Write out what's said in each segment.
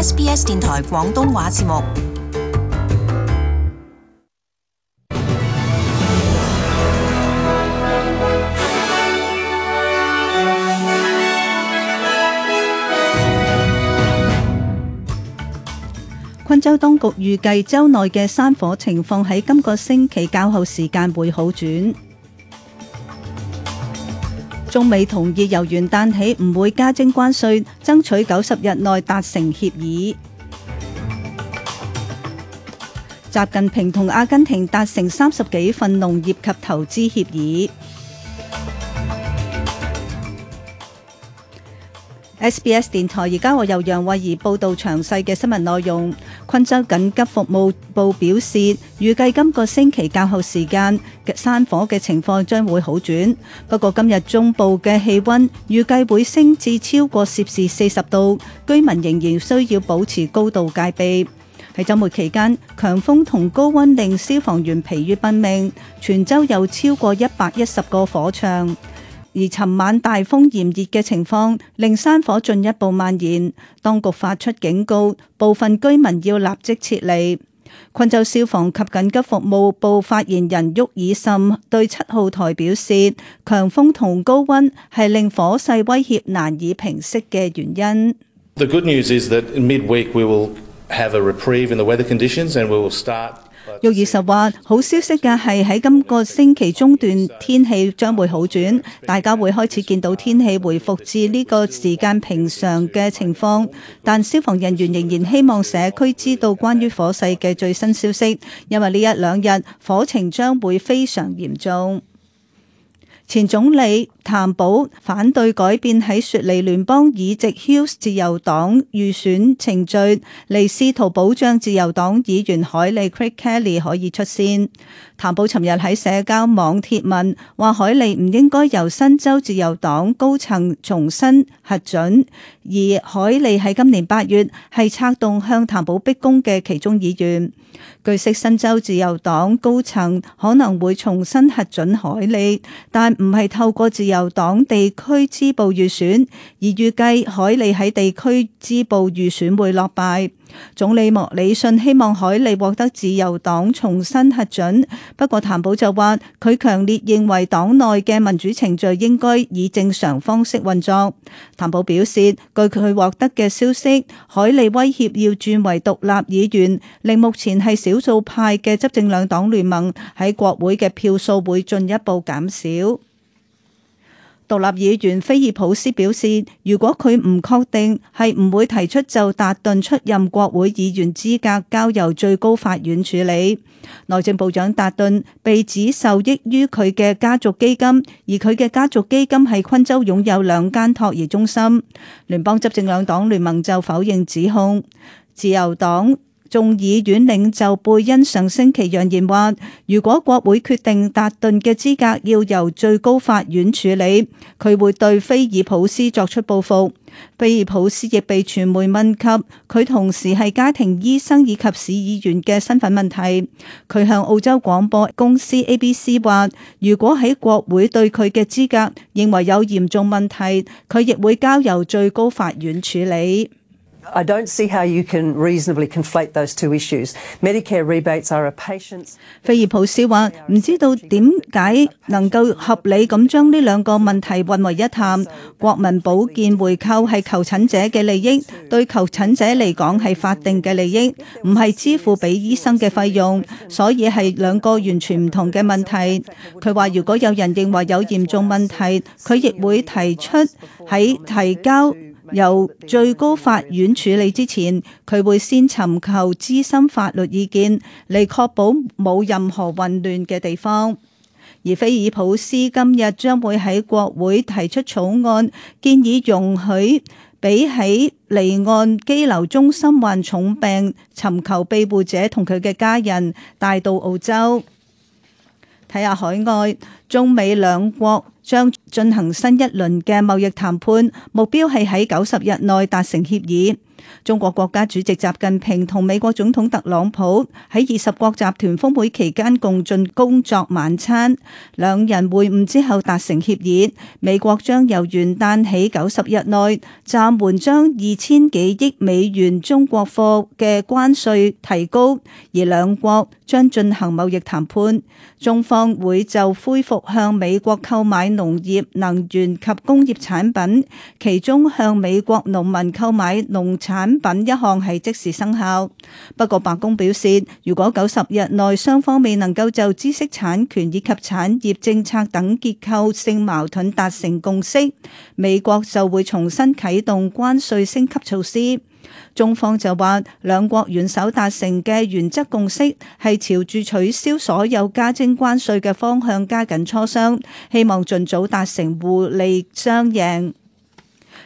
SBS 電台廣東話節目。昆州當局預計州內嘅山火情況喺今個星期較後時間會好轉。中美同意由元旦起唔會加徵關稅，爭取90日內達成協議。習近平同阿根廷達成30幾份農業及投資協議。SBS 電台而家由楊慧儀報道詳細嘅新聞內容。昆州緊急服務部表示，預計今個星期較後時間嘅山火嘅情況將會好轉。不過今日中部嘅氣溫預計會升至超過攝氏40度，居民仍然需要保持高度戒備。喺週末期間，強風同高溫令消防員疲於奔命，全州有超過110個火場。而尋晚大風炎熱嘅情況令山火進一步蔓延，當局發出警告，部分居民要立即撤離。昆州消防及緊急服務部發言人沃爾森對7號台表示，強風同高溫係令火勢威脅難以平息嘅原因。The good news is that in midweek we will have a reprieve in the weather conditions and we will start。沃爾什話：好消息嘅係喺今個星期中段天氣將會好轉，大家會開始見到天氣回復至呢個時間平常嘅情況。但消防人員仍然希望社區知道關於火勢嘅最新消息，因為呢1-2日火情將會非常嚴重。前總理譚寶反對改變喺雪梨聯邦議席 Hills 自由黨預選程序，嚟試圖保障自由黨議員海莉 Craig Kelly 可以出線。譚寶尋日喺社交網貼文話，海莉唔應該由新州自由黨高層重新核准，而海莉喺今年8月係策動向譚寶逼宮嘅其中議員。據悉，新州自由黨高層可能會重新核准海莉，但唔係透過自由黨地區支部預選，而預計海莉喺地區支部預選會落敗。總理莫里遜希望海莉獲得自由黨重新核准，不過譚寶就話佢強烈認為黨內嘅民主程序應該以正常方式運作。譚寶表示，據佢獲得嘅消息，海莉威脅要轉為獨立議員，令目前係少數派嘅執政兩黨聯盟喺國會嘅票數會進一步減少。獨立議員菲爾普斯表示，如果佢唔確定，係唔會提出就達頓出任國會議員資格交由最高法院處理。內政部長達頓被指受益於佢嘅家族基金，而佢嘅家族基金喺昆州擁有2間托兒中心。聯邦執政兩黨聯盟就否認指控。自由黨眾議院領袖貝恩上星期揚言話，如果國會決定達頓嘅資格要由最高法院處理，佢會對菲爾普斯作出報復。菲爾普斯亦被傳媒問及佢同時係家庭醫生以及市議員嘅身份問題。佢向澳洲廣播公司 ABC 話，如果喺國會對佢嘅資格認為有嚴重問題，佢亦會交由最高法院處理。I don't see how you can reasonably conflate those two issues. Medicare rebates are a patient's. 菲爾普斯話：唔知道點解能夠合理咁將呢2個問題混為一談。國民保健回扣係求診者嘅利益，對求診者嚟講係法定嘅利益，唔係支付俾醫生嘅費用，所以係2個完全唔同嘅問題。佢話：如果有人認為有嚴重問題，佢亦會提出喺提交由最高法院處理之前，佢會先尋求資深法律意見，嚟確保冇任何混亂嘅地方。而菲爾普斯今日將會喺國會提出草案，建議容許俾喺離岸羈留中心患重病、尋求庇護者同佢嘅家人帶到澳洲。睇下海外，中美兩國將進行新一輪嘅貿易談判，目標係喺90日內達成協議。中國國家主席習近平同美國總統特朗普喺20國集團峰會期間共進工作晚餐，兩人會晤之後達成協議，美國將由元旦起90日內暫緩將2000幾億美元中國貨嘅關稅提高，而兩國將進行貿易談判。中方會就恢復向美國購買農業、能源及工業產品，其中向美國農民購買農產品一項係即時生效。不過白宮表示，如果90日內雙方未能夠就知識產權以及產業政策等結構性矛盾達成共識，美國就會重新啟動關稅升級措施。中方就話，兩國元首達成嘅原則共識係朝住取消所有加徵關稅嘅方向加緊磋商，希望盡早達成互利雙贏。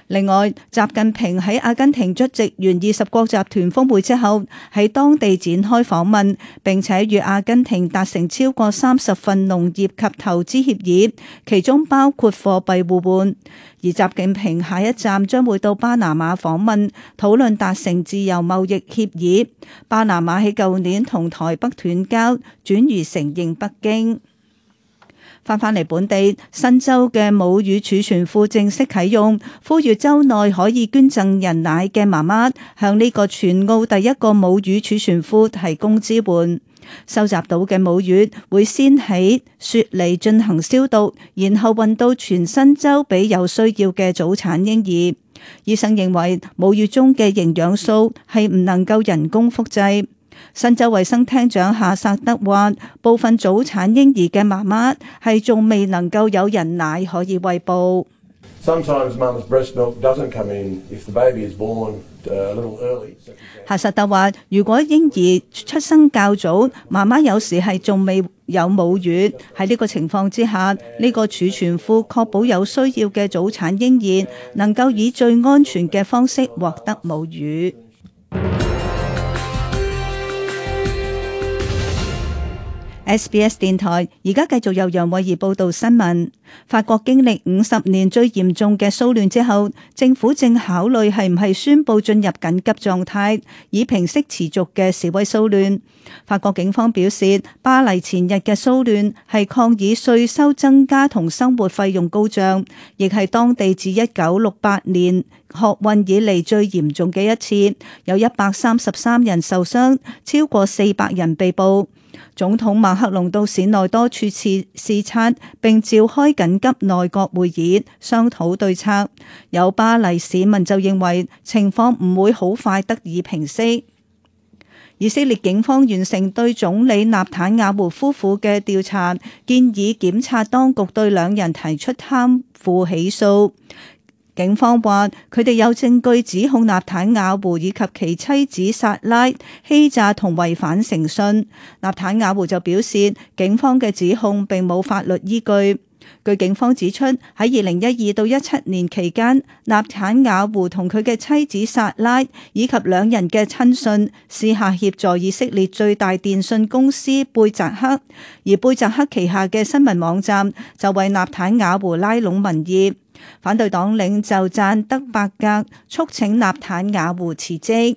另外，習近平喺阿根廷出席完20國集團峰會之後，喺當地展開訪問，並且與阿根廷達成超過30份農業及投資協議，其中包括貨幣互換。而習近平下一站將會到巴拿馬訪問，討論達成自由貿易協議。巴拿馬喺舊年同台北斷交，轉移承認北京。翻嚟本地，新州嘅母乳儲存庫正式啟用，呼籲州內可以捐贈人奶嘅媽媽向呢個全澳第一個母乳儲存庫提供支援。收集到嘅母乳會先喺雪梨進行消毒，然後運到全新州俾有需要嘅早產嬰兒。醫生認為母乳中嘅營養素係唔能夠人工複製。新州衛生廳長夏薩德話，部分早產嬰兒嘅媽媽係仲未能夠有人奶可以餵哺。夏薩德話，如果嬰兒出生較早，媽媽有時係仲未有母乳。喺呢個情況之下，呢個儲存庫確保有需要嘅早產嬰兒能夠以最安全嘅方式獲得母乳。SBS 電台而家繼續由楊慧儀報道新聞。法國經歷50年最嚴重嘅騷亂之後，政府正考慮係唔係宣布進入緊急狀態，以平息持續嘅示威騷亂。法國警方表示，巴黎前日嘅騷亂係抗議稅收增加同生活費用高漲，亦係當地自1968年學運以嚟最嚴重嘅一次，有133人受傷，超過400人被捕。總統馬克龍到市內多處視察，並召開緊急內閣會議商討對策。有巴黎市民就認為情況唔會好快得以平息。以色列警方完成對總理納坦雅胡夫婦嘅調查，建議檢察當局對兩人提出貪腐起訴。警方話佢哋有證據指控納坦雅胡以及其妻子薩拉欺詐同違反誠信。納坦雅胡就表示，警方嘅指控並冇法律依據。據警方指出，喺2012到17年期間，納坦雅胡同佢嘅妻子薩拉以及兩人嘅親信私下協助以色列最大電信公司貝澤克，而貝澤克旗下嘅新聞網站就為納坦雅胡拉攏民意。反對黨領袖贊德伯格促請納坦雅胡辭職。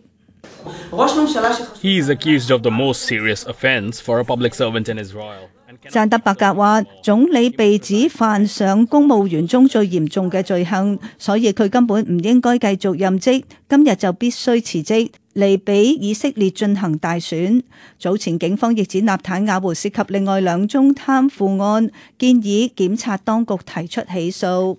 He is accused of the most serious offense for a public servant in Israel. 贊德伯格話，總理被指犯上公務員中最嚴重嘅罪行，所以佢根本唔應該繼續任職，今日就必須辭職嚟俾以色列進行大選。早前警方亦指納坦雅胡涉及另外2宗貪腐案，建議檢察當局提出起訴。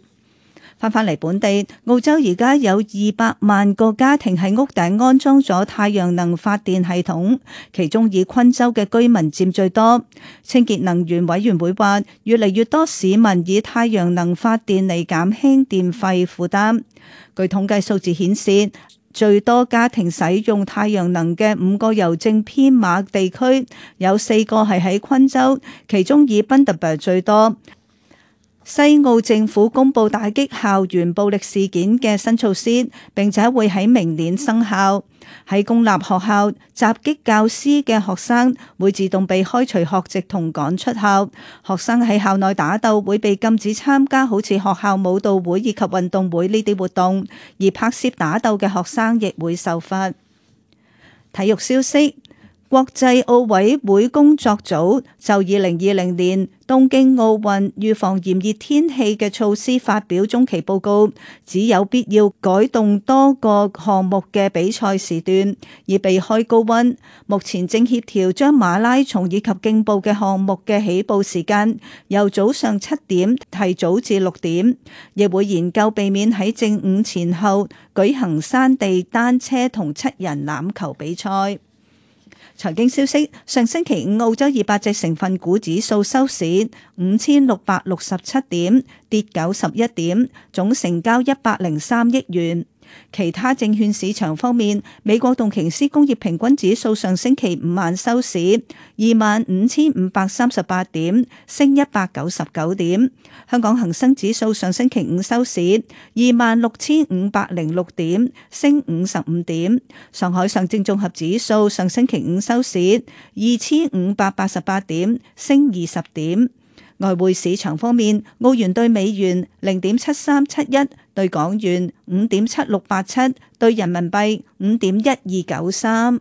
翻嚟本地，澳洲而家有200萬個家庭喺屋頂安裝咗太陽能發電系統，其中以昆州嘅居民佔最多。清潔能源委員會話，越嚟越多市民以太陽能發電嚟減輕電費負擔。據統計數字顯示，最多家庭使用太陽能嘅5個郵政編碼地區，有4個係喺昆州，其中以賓特伯最多。西澳政府公布打擊校園暴力事件嘅新措施，並且會喺明年生效。喺公立學校襲擊教師嘅學生會自動被開除學籍同趕出校。學生喺校內打鬥會被禁止參加好似學校舞蹈會以及運動會呢啲活動，而拍攝打鬥嘅學生亦會受罰。體育消息。國際奧委會工作組就2020年東京奧運預防炎熱天氣嘅措施發表中期報告，只有必要改動多個項目嘅比賽時段，以避開高溫。目前正協調將馬拉松以及競步嘅項目嘅起步時間由早上7點提早至6點，亦會研究避免喺正午前後舉行山地單車同7人欖球比賽。財經消息，上星期五澳洲200隻成分股指數收市5667點，跌91點，總成交103億元。其他證券市場方面，美國道瓊斯工業平均指數上星期五晚收市25,538點，升199點。香港恒生指數上星期五收市26,506點，升55點。上海上證綜合指數上星期五收市2,588點，升20點。外匯市場方面，澳元兌美元0.7371，兌港元5.7687，兌人民幣5.1293。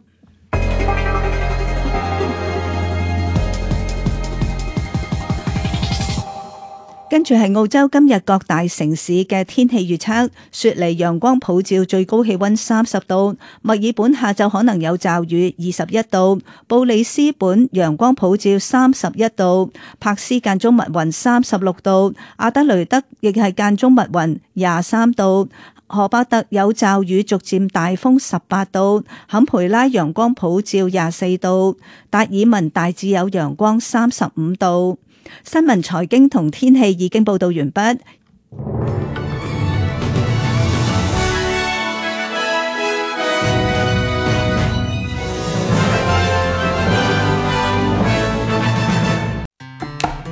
跟住係澳洲今日各大城市嘅天氣預測：雪梨陽光普照，最高氣溫30度；墨爾本下晝可能有驟雨，21度；布里斯本陽光普照，31度；柏斯間中密雲，36度；阿德雷德亦係間中密雲，23度；荷巴特有驟雨，逐漸大風，18度；坎培拉陽光普照，24度；達爾文大致有陽光，35度。新聞、財經同天氣已經報道完畢。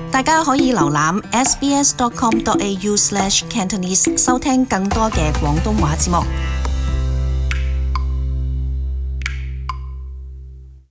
大家可以瀏覽 sbs.com.au/cantonese 收聽更多嘅廣東話節目。